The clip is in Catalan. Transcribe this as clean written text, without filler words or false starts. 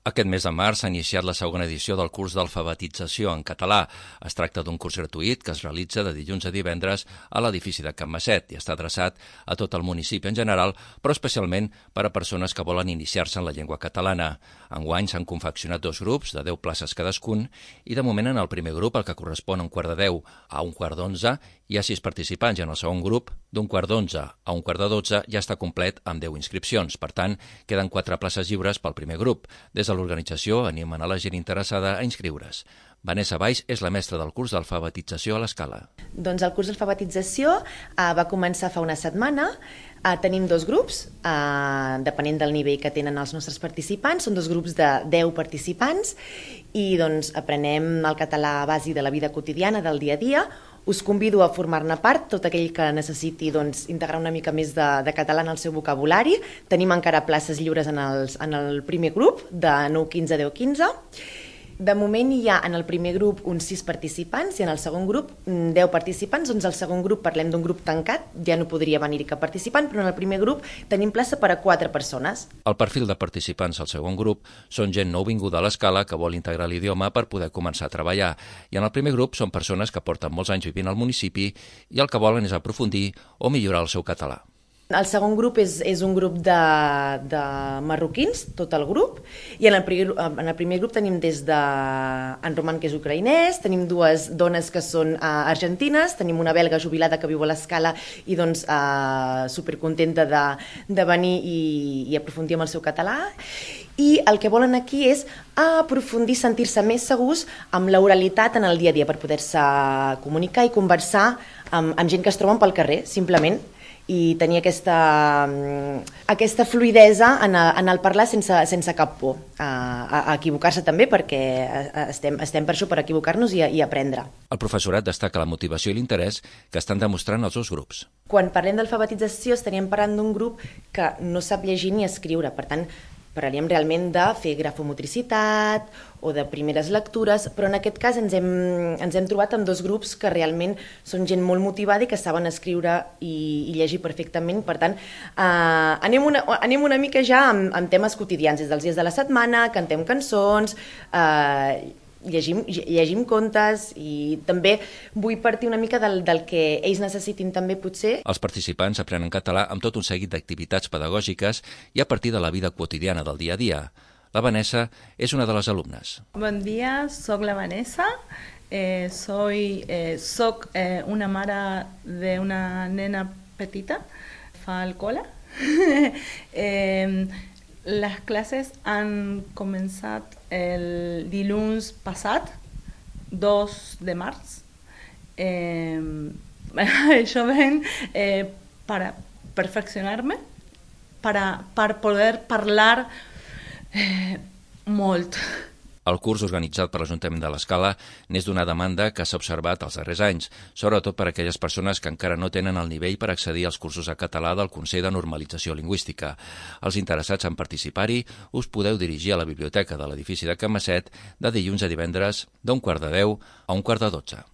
Aquest mes de març s'ha iniciat la segona edició del curs d'alfabetització en català. Es tracta d'un curs gratuït que es realitza de dilluns a divendres a l'edifici de Can Masset i està adreçat a tot el municipi en general, però especialment per a persones que volen iniciar-se en la llengua catalana. Enguany s'han confeccionat 2 grups de 10 places cadascun i de moment en el primer grup, el que correspon a 9:45 a 11:45, hi ha 6 participants i en el segon grup, d'11:45 a 11:45 ja està complet amb 10 inscripcions. Per tant, queden 4 places lliures pel primer grup. Des de l'organització animen a la gent interessada a inscriure's. Vanessa Valls és la mestra del curs d'alfabetització a l'Escala. Doncs el curs d'alfabetització va començar fa una setmana. Tenim 2 grups, depenent del nivell que tenen els nostres participants. Són 2 grups de 10 participants i doncs aprenem el català bàsic de la vida quotidiana, del dia a dia. Us convido a formar-ne part, tot aquell que necessiti integrar una mica més de català en el seu vocabulari. Tenim encara places lliures en el primer grup, de 9:15 a 10:15. De moment hi ha en el primer grup uns 6 participants i en el segon grup 10 participants. Doncs al segon grup parlem d'un grup tancat, ja no podria venir-hi cap participant, però en el primer grup tenim plaça per a 4 persones. El perfil de participants al segon grup són gent nouvinguda a l'Escala que vol integrar l'idioma per poder començar a treballar. I en el primer grup són persones que porten molts anys vivint al municipi i el que volen és aprofundir o millorar el seu català. El segon grup és un grup de marroquins, tot el grup, i en el primer grup tenim des en Roman, que és ucraïnès, tenim 2 dones que són argentines, tenim una belga jubilada que viu a l'Escala i doncs supercontenta de venir i aprofundir amb el seu català. I el que volen aquí és aprofundir, sentir-se més segurs amb l'oralitat en el dia a dia per poder-se comunicar i conversar amb gent que es troben pel carrer, simplement, i tenir aquesta fluïdesa en el parlar sense cap por, a equivocar-se també, perquè estem per això, per equivocar-nos i aprendre. El professorat destaca la motivació i l'interès que estan demostrant els 2 grups. Quan parlem d'alfabetització estaríem parlant d'un grup que no sap llegir ni escriure, per tant, parlaríem realment de fer grafomotricitat o de primeres lectures, però en aquest cas ens hem trobat amb 2 grups que realment són gent molt motivada i que saben escriure i llegir perfectament. Per tant, anem una mica ja amb temes quotidians, des dels dies de la setmana, cantem cançons, llegim contes, i també vull partir una mica del que ells necessitin també, potser. Els participants aprenen català amb tot un seguit d'activitats pedagògiques i a partir de la vida quotidiana del dia a dia. La Vanessa és una de les alumnes. Bon dia, soc la Vanessa. Soc una mare d'una nena petita, fa el col·le. Les classes han començat el dilluns passat, 2 de març. Això ven per perfeccionar-me, per poder parlar molt. El curs organitzat per l'Ajuntament de l'Escala n'és d'una demanda que s'ha observat els darrers anys, sobretot per a aquelles persones que encara no tenen el nivell per accedir als cursos de català del Consell de Normalització Lingüística. Els interessats en participar-hi us podeu dirigir a la biblioteca de l'edifici de Can Masset de dilluns a divendres d'11:45 a 11:45.